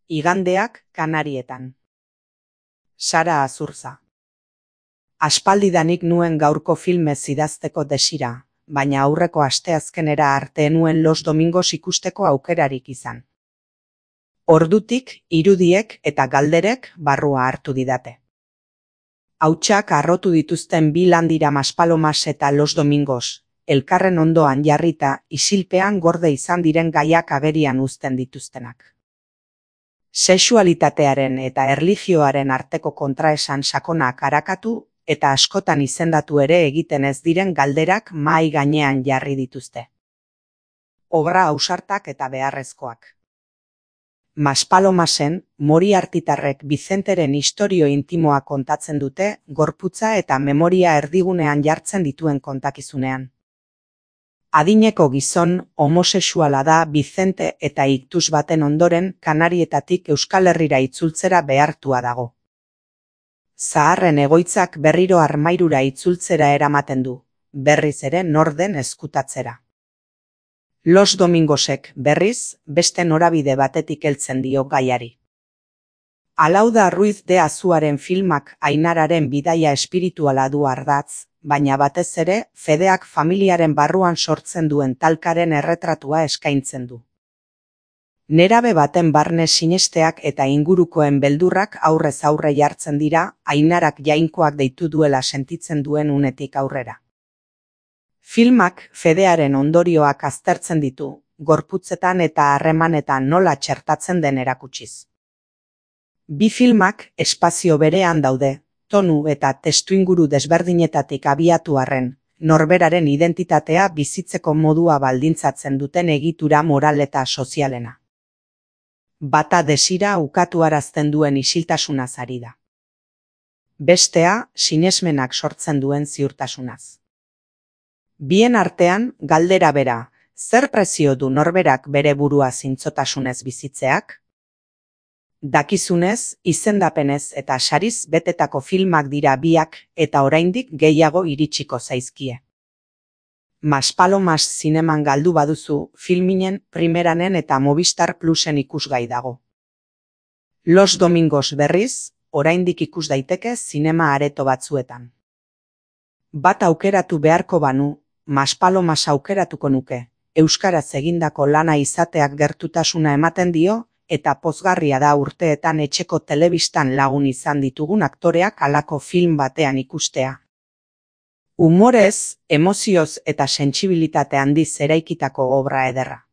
Igandeak Kanarietan. Sara Azurza. Aspaldidanik nuen gaurko filmez idazteko desira, baina aurreko asteazkenera arte nuen Los Domingos ikusteko aukerarik izan. Ordutik, irudiek eta galderek barrua hartu didate. Hautsak harrotu dituzten bi lan dira Maspalomas eta Los Domingos, elkarren ondoan jarrita isilpean gorde izan diren gaiak agerian uzten dituztenak. Sexualitatearen eta erlijioaren arteko kontraesan sakonak arakatu eta askotan izendatu ere egiten ez diren galderak mahai gainean jarri dituzte. Obra ausartak eta beharrezkoak. Maspalomasen, Moriartytarrek Vicenteren istorio intimoa kontatzen dute gorputza eta memoria erdigunean jartzen dituen kontakizunean. Adineko gizon homosexuala da Vicente eta iktus baten ondoren Kanarietatik Euskal Herrira itzultzera behartua dago. Zaharren egoitzak berriro armairura itzultzera eramaten du, berriz ere norden ezkutatzera. Los Domingosek berriz beste norabide batetik heltzen dio gaiari. Alauda Ruiz de Azuaren filmak Ainararen bidaia espirituala du ardatz, baina batez ere fedeak familiaren barruan sortzen duen talkaren erretratua eskaintzen du. Nerabe baten barne sinesteak eta ingurukoen beldurrak aurrez aurre jartzen dira Ainarak jainkoak deitu duela sentitzen duen unetik aurrera. Filmak fedearen ondorioak aztertzen ditu, gorputzetan eta harremanetan nola txertatzen den erakutsiz. Bi filmak espazio berean daude, tonu eta testuinguru desberdinetatik abiatu arren, norberaren identitatea bizitzeko modua baldintzatzen duten egitura moral eta sozialena. Bata desira ukatuarazten duen isiltasunaz ari da. Bestea, sinesmenak sortzen duen ziurtasunaz. Bien artean, galdera bera, zer prezio du norberak bere burua zintzotasunez bizitzeak? Dakizunez, izendapenez eta sariz betetako filmak dira biak eta oraindik gehiago iritsiko zaizkie. Maspalomas zineman galdu baduzu, Filminen, Primeranen eta Movistar Plusen ikusgai dago. Los Domingos berriz, oraindik ikus daiteke zinema areto batzuetan. Bat aukeratu beharko banu, Maspalomas aukeratuko nuke, euskaraz egindako lana izateak gertutasuna ematen dio, eta pozgarria da urteetan etxeko telebistan lagun izan ditugun aktoreak halako film batean ikustea. Humorez, emozioz eta sentsibilitate handiz eraikitako obra ederra.